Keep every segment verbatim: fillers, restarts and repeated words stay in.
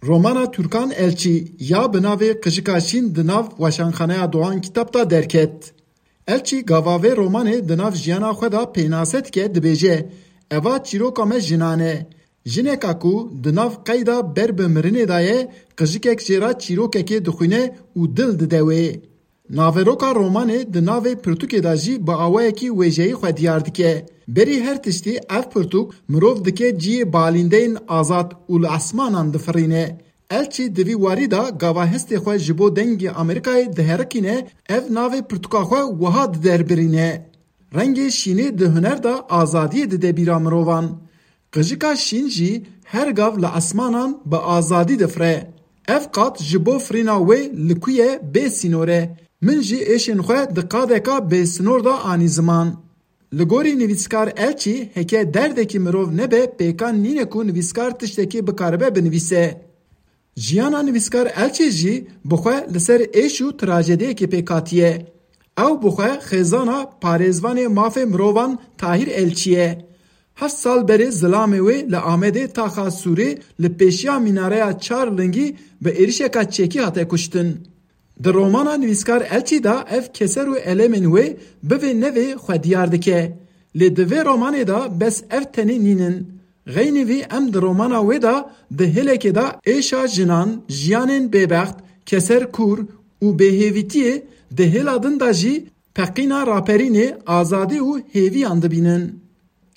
Romana Türkan Elçî ya bi navê Qijika Şîn di nav Weşanxaneya Doğan Kitap de derket. Elçî gava vê romanê di nav jiyana xwe de pênase dike, dibêje, eva çîroka me jinan e. Jineka ku di nav qeyda ber bi mirinê de ye, qijikek jê re çîrokekê dixwîne û dil dide wê. Naveroka romanê di navê pirtûkê de jî bi awayekî wêjeyî xwe diyar dike. Berî her tiştî ev pirtûk mirov dike cihê balîndeyên azad û li esmanan difirîne. Elçî di vî warî de gava hestê xwe ji bo dengê Amerîkayê diherikîne, ev navê pirtûka xwe wiha diderbirîne. Rengê şînê di huner de azadiyê dide bîra mirovan. Qijika şîn jî her gav li esmanan bi azadî difire. Ev qat ji bo firîna wê li ku ye bê sînor e. Min jî êşên xwe di qadeka bêsinor de anî ziman. Li gorî nivîskar Elçî, heke derdekî mirov nebe, pêkan nîne ku nivîskar tiştekî bikaribe binivîse. Jiyana nivîskar Elçî jî bi xwe li ser êş û trajediyekê pêk hatiye. Ew bi xwe xêzana parêzvanê mafê mirovan Tahîr Elçî ye. Heft sal berê zilamê wê li Amedê taxa Sûrê li pêşiya mînareya çar lingî bi êrişeka çekî hate kuştin. Di romana nivîskar Elçî de ev keser û elemên wê bivê nevê xwe diyar dike. Lê di vê romanê de bes ev tenê nînin. Xeynî vî em di romana wê de di hêlekê de êşa jinan, jiyanên bêbext, keser kûr û bêhêvîtiyê, di hêla din de jî teqîna raperînê, azadî û hêviyan dibînin.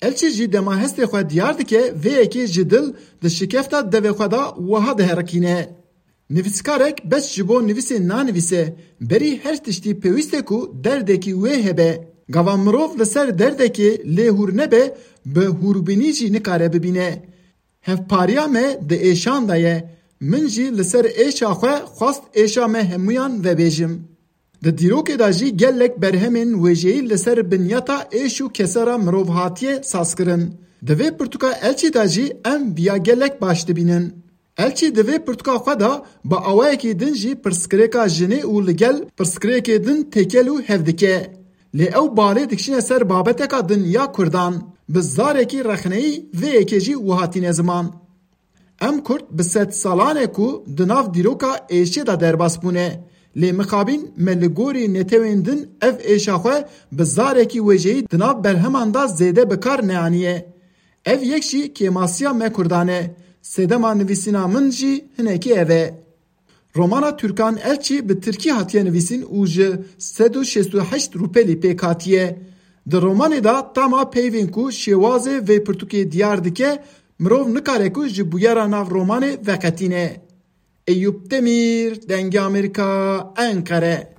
Elçî jî dema hestê xwe diyar dike, vê yekê ji dil di şikefta devê xwe de wiha diherikîne. Nivîskarek bes ji bo nivîsê nanivîse, berî her tiştî pêwîst e ku derdekî wê hebe. Gava mirov li ser derdekê lê hûr nebe, bi hûrbînî jî nikare bibîne. Hevpariya me di êşan de ye. Min jî li ser êşa xwe xwest êşa me hemûyan vebêjim. Di dîrokê de jî gelek berhemên wêjeyî li ser binyata êş û kesera mirov hatiye sazkirin. Di vê pirtûka Elçî de jî em viya gelek baş dibînin. Elçî di vê pirtûka xwe de bi awayekî din jî pirsgirêka jinê û li gel pirsgirêkê din têkel û hev dike. Lê ew balê dikişîne ser babeteka din ya Kurdan. Bi zarekî rexneyî vê yekê jî wiha tîne ziman. Em Kurd bi sedsalan e ku di nav dîroka êşê de derbas bûne. Lê mixabîn me li gorî netewên din ev êşa xwe bi zarekî wêjeyî di nav berheman de zêde bi kar neaniye. Ev yek jî kêmasiya me Kurdan e. Sedema nivîsîna min jî hinekî ev e. Romana Türkan Elçî bi tirkî hatiye nivîsîn û ji sed û şêst û heşt rûpelî pêk hatiye. Di romanê de tama peyvên ku şêwazê vê pirtûkê diyar dike, mirov nikare ku ji bûyera nav romanê veqetîne. Eyûp Demîr, Dengê Amerîka, Enqere.